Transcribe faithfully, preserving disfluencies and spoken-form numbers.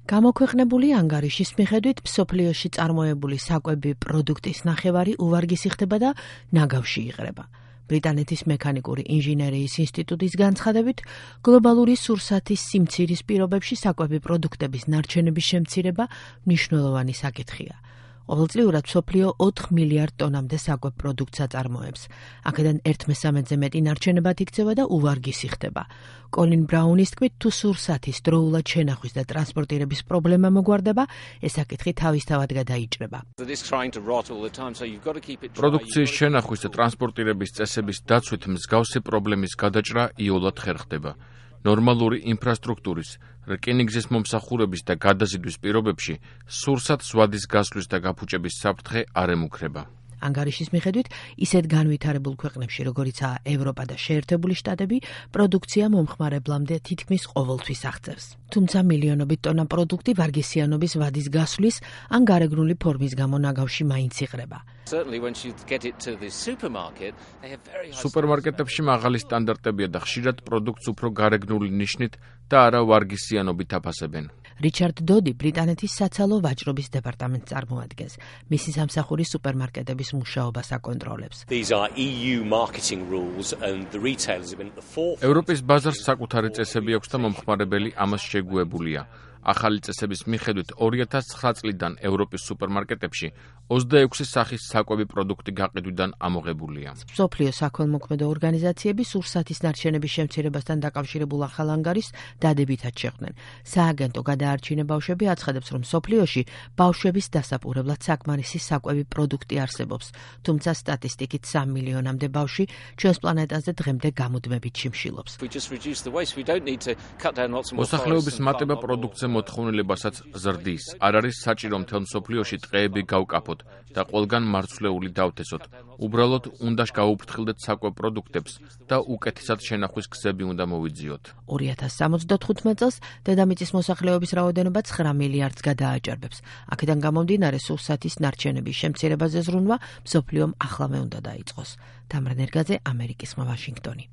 გამოქვეყნებული ანგარიშის მიხედვით მსოფლიოში წარმოებული საკვები პროდუქტის ნახევარი უვარგისი ხდება და ნაგავში იღრება. ბრიტანეთის მექანიკური ინჟინერიის ინსტიტუტის განცხადებით, გლობალური სურსათის სიმცირის პირობებში საკვები პროდუქტების ნარჩენების შემცირება მნიშვნელოვანი საკითხია. ყოველწლიურად მსოფლიო ოთხ მილიარდ ტონამდე საკვებ პროდუქტს აწარმოებს. აქედან ერთ მესამედზე მეტი ნარჩენებად იქცევა და უვარგისი ხდება. კოლინ ბრაუნის თქმით, თუ სურსათის დროულად შენახვის და ტრანსპორტირების პრობლემა მოგვარდება, ეს საკითხი თავისთავად გადაიჭრება. პროდუქციის შენახვის და ტრანსპორტირების წესების დაცვით მსგავსი პრობლემის გადაჭრა იოლად ხერხდება. ნორმალური ინფრასტრუქტურის, რკინიგზის მომსახურების და გადაზიდვის პირობებში სურსათს ვადის გასვლის და გაფუჭების საფრთხე არ ემუქრება. ანგარიშის მიხედვით, ისეთ განვითარებულ ქვეყნებში, როგორიცაა ევროპა და შეერთებული შტატები, პროდუქცია მომხმარებლამდე თითქმის ყოველთვის აღწევს. თუმცა მილიონობით ტონა პროდუქტი ვარგისიანობის ვადის გასვლის ან გარეგნული ფორმის გამო ნაგავში მაინც იღრება. სუპერმარკეტებში მაღალი სტანდარტებია და ხშირად პროდუქტს უფრო გარეგნული ნიშნით და არა ვარგისიანობით აფასებენ. რიჩარდ დოდი ბრიტანეთის საცალო ვაჭრობის დეპარტამენტს წარმოადგენს. მისი სამსახური სუპერმარკეტების მუშაობას აკონტროლებს. ევროპის ბაზარს საკუთარი წესები აქვს და მომხმარებელი ამას შეგუებულია. ახალი წესების მიხედვით ორი ათას ცხრა წლიდან ევროპის სუპერმარკეტებში ოცდაექვსი სახის საკვები პროდუქტი გაყიდვიდან ამოღებულია. მსოფლიო საქველმოქმედო ორგანიზაციები სურსათის ნარჩენების შემცირებასთან დაკავშირებულ ახალ ანგარიშს დადებითად შეხვდნენ. სააგენტო გადაარჩინე ბავშვები აცხადებს, რომ მსოფლიოში ბავშვების დასაპურებლად საკმარისი საკვები პროდუქტი არსებობს, თუმცა სტატისტიკით სამ მილიონამდე ბავშვი ჩვენს პლანეტაზე დღემდე გამუდმებით შიმშილობს. მოსახლეობის მატება პროდუქტზე მოთხოვნილებასაც ზრდის. არ არის საჭირო მთელ მსოფლიოში ტყეები გავკაფოთ და ყველგან მარცვლეული დავთესოთ. უბრალოდ უნდა გავუფრთხილდეთ საკვებ პროდუქტებს და უკეთესად შენახვის გზები უნდა მოვიძიოთ. ორი ათას სამოცდათხუთმეტ წელს დედამიწის მოსახლეობის რაოდენობა ცხრა მილიარდს გადააჭარბებს. აქედან გამომდინარე სურსათის ნარჩენების შემცირებაზე ზრუნვა მსოფლიომ ახლავე უნდა დაიწყოს. თამარ ნერგაძე, ამერიკის ხმა, ვაშინგტონი.